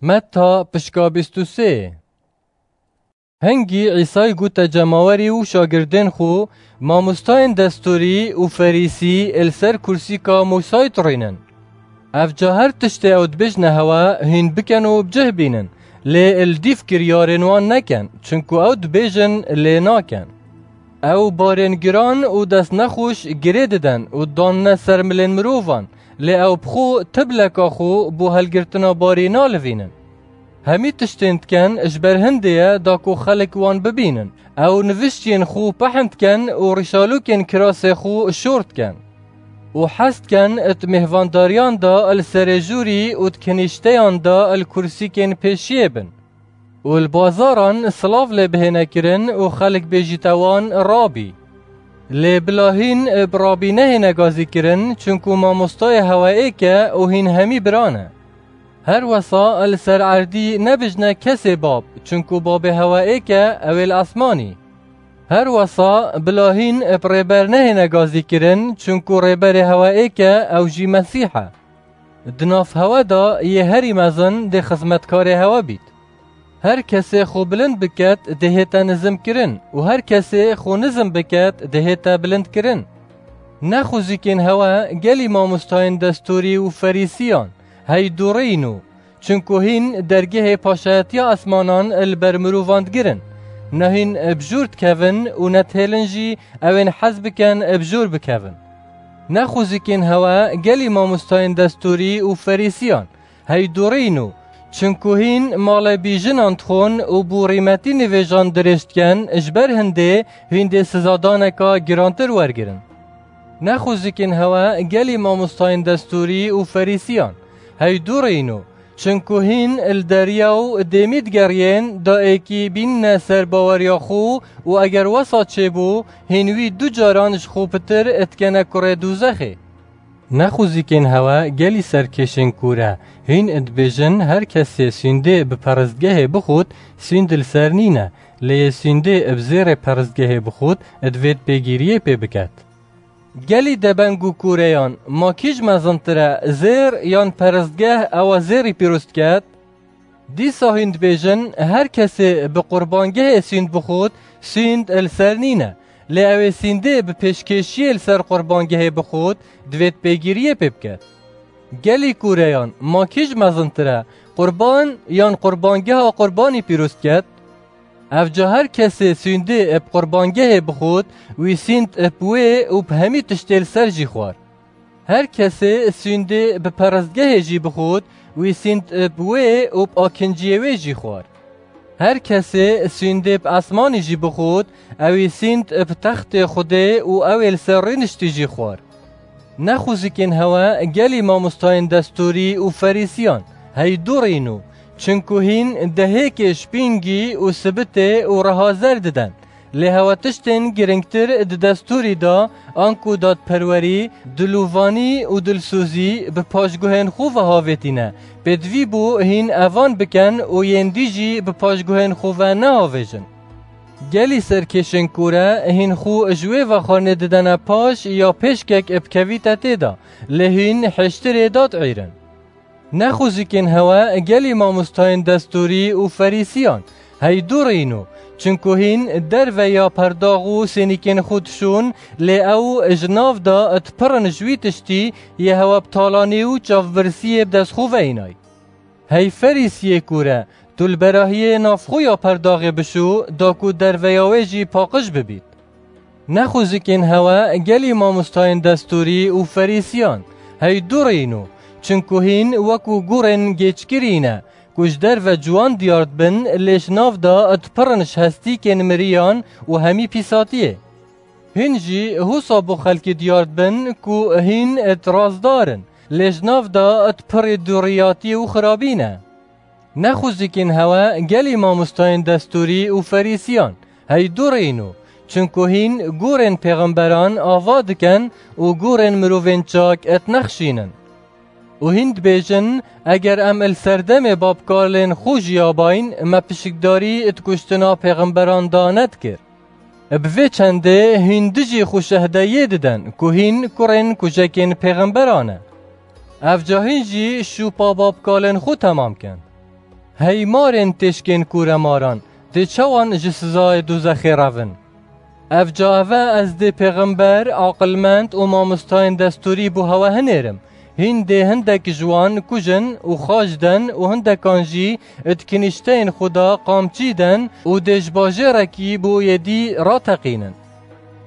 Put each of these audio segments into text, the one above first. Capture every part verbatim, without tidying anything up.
Metta pişka bîst û sê. Hingî Îsay gote cemawerî û şagirdên xwe, Mamostayên destûrî û ferîsî li ser kursîka Mûsayî turînin. Ev ca her tiştê ew dibêjne hewe hîn bikin û bi cih bînin, lê li dîv kiryarên wan nekin, çinku ew dibêjin lê nakin. Ew barên giran û dest nexweş girê didin û danine ser milên mirovan, lê ew bi xwe tibleka xwe bo helgirtina barî nalivînin. Hemî tiştên dikin ji ber hindê ye da ku xelk wan bibînin. Ew niviştiyên xwe pehn dikin û rîşalokên kirasê xwe şor dikin. Û hez dikin di mêhvandariyan de li serê jûrî û di kinîşteyan de li kursîkên pêşiyê bin. Û li bazaran silav lê bihêne kirin û xelk bêjîte wan Rabî. Lê bila hîn bi Rabî nehêne gazî kirin, çunku mamostayê hewe êk e û hîn hemî bira ne. Her wesa li ser erdî nebijne kesê bab, çunku babê hewe êk e, ew ê li esmanî. Her wesa bila hîn bi rêber nehêne gazî kirin, çunku rêberê hewe êk e, ew jî Mesîh e. Di nav hewe de yê herî mezin dê xizmetkarê hewe bît. Her kesê xwe bilind biket, dê hête nizim kirin û her kesê xwe nizim biket, dê hête bilind kirin. Nexwizîkên hewe gelî mamostayên destûrî û ferîsiyan, hey dûrîn û, çunku hîn dergehê paşayetiya esmanan li ber mirovan digirin. Ne hîn bi jûr dikevin û ne dihêlin jî ew ên hez bikin bi jûr bikevin. Nexwizîkên hewe gelî mamostayên destûrî û ferîsiyan, hey dûrîn û, çunku hîn malê bîjinan dixwin û bo rîmetî nivêjan dirêj dikin, ji ber hindê hîn dê sizadaneka girantir wergirin. Nexwizîkên hewe gelî mamostayên destûrî û ferîsiyan, hey dûrîn û, çunku hîn li deriya û dêmî digeriyên da êkî bînine ser baweriya xwe û eger wesa çêbû, hîn wî du caran ji xwe pitir dikene kurê dûzexê. Nexwizîkên hewe gelî serkêşên kûr e. Hîn dibêjin, her kesê sûndê bi perestgehê bixwit, sûnd li ser nîne, lê yê sûndê bi zêrê perestgehê bixwit, divêt pêgîriyê pê biket. Gelî debeng û kûreyan, ma kî ji mezintir e, zêr yan perestgeh ewa zêrî pîroz diket? Dîsa hîn dibêjin, her kesê bi qurbangehê sûnd bixwit, sûnd li ser nîne. Lê ew ê sûndê bi pêşkêşiyê li ser qurbangehê bixwit, divêt pêgîriyê pê biket. Gelî kûreyan, ma kî ji mezintir e, qurban yan qurbangeha qurbanî pîroz diket? Ev ca her kesê sûndê bi qurbangehê bixwit, wî sûnd bi wê û bi hemî tiştê li ser jî xwar. Her kesê sûndê bi perestgehê jî bixwit, wî sûnd bi wê û bi akinciyê wê jî xwar. Her kesê sûndê bi esmanî jî bixwit, ewî sûnd bi textê Xwedê û ew ê li ser rûniştî jî xwar. Nexwizîkên hewe gelî mamostayên destûrî û ferîsiyan, hey dûrîn û, çinku hîn dehêkê şpîngî û sibitê û reha zer diden. Lê hewe tiştên giringtir di destûrî de, anku dadperwerî, dilovanî û dilsozî bi paşguhên xwe ve havêtîne. Pêdivî bû hîn evan bikin û yên dî jî bi paşguhên xwe ve neavêjin. Gelî serkêşên kûre hîn xwe ji wê vexwarinê didene paş ya pêşkek bikevîte tê de, lê hîn hêştirê dad êrin. Nexwizîkên hewe gelî mamostayên destûrî û ferîsiyan, hey dûrîn û, çinku hîn derve ya perdax û sênîkên xwe dişûn, lê ew ji nav de dipirin ji wî tiştî yê hewe bi talanî û çavbirsiyê bi dest xwe ve înay. Hey ferîsiyê kûre, tu li berahiyê navxwe ya perdaxê bişû, da ku derveya wê jî paqij bibît. Nexwizikên hewe gelî mamostayên destûrî û ferîsiyan, hey dûrîn û, çinku hîn wekû gûrên gêçkirî ne, ku ji derve ciwan diyar dibin, lê ji nav de dipirin ji hestîkên miriyan û hemî pîsatiyê. Hîn jî husa bo xelkî diyar dibin ku hîn razdar in, lê ji nav de pirî dûriyatî û xirabî ne. Nexwizikên hewe gelî mamostayên destûrî û ferîsiyan, hey dûrîn û, çinku hîn gûrên pêxemberan ava dikin û gûrên mirovên çak dinexşînin. Û hîn dibêjin, eger em li serdemê babkalên xwe jiyabayn, me pişikdarî di kuştina pêxemberan de nedikir. Bi vê çendê hîn dijî xwe şehdeyê didin ku hîn kurên kujekên pêxemberan e. Ev ca hîn jî şûpa babkalên xwe temam kin. Hey marên têşkên kûremaran, dê çawan ji sizayê dûzexê revin? Ev ca eve ez dê pêxember, aqilmend û mamostayên destûrî bo hewe hinêrim. Hîn dê hindek ji wan kujin û xaç den û hindekan jî di kinîşteyên xwe de qamçî den û dê ji bajêrekî bo yê dî rateqînin.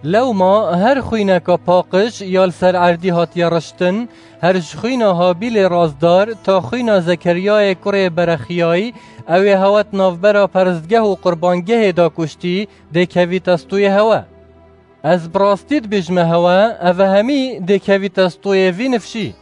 Lewma her xwîneka paqij ya li ser erdî hatiye riştin, her ji xwîna Habîlê razdar ta xwîna Zekeryayê kurê Berexiyayî, ew ê hewe di navbera peristgeh û qurbangehê de kuştî, dê kevîte stûyê hewe. Ez bi rastî dibêjime hewe, eve hemî dê kevîte stûyê vî nifşî.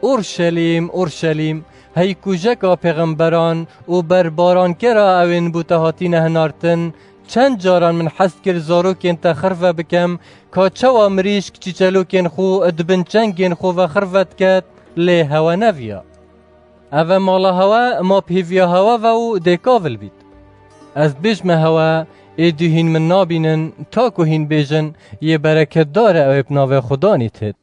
Urşelîm, Urşelîm, hey kujeka pêxemberan û berbarankera ewên bo te hatîne hinartin, çend caran min hez kir zarokên te xirve bikem, ka çawa mirîşk çîçelokên xwe di bin çengên xwe ve xirve diket, lê hewe neviya. Eve mala hewe, ma bi hêviya hewe ve û dê kavil bît. Ez dibêjime hewe, êdî hîn min nabînin, ta ku hîn bêjin, yê bereketdar e ew ê bi navê Xudanî têt.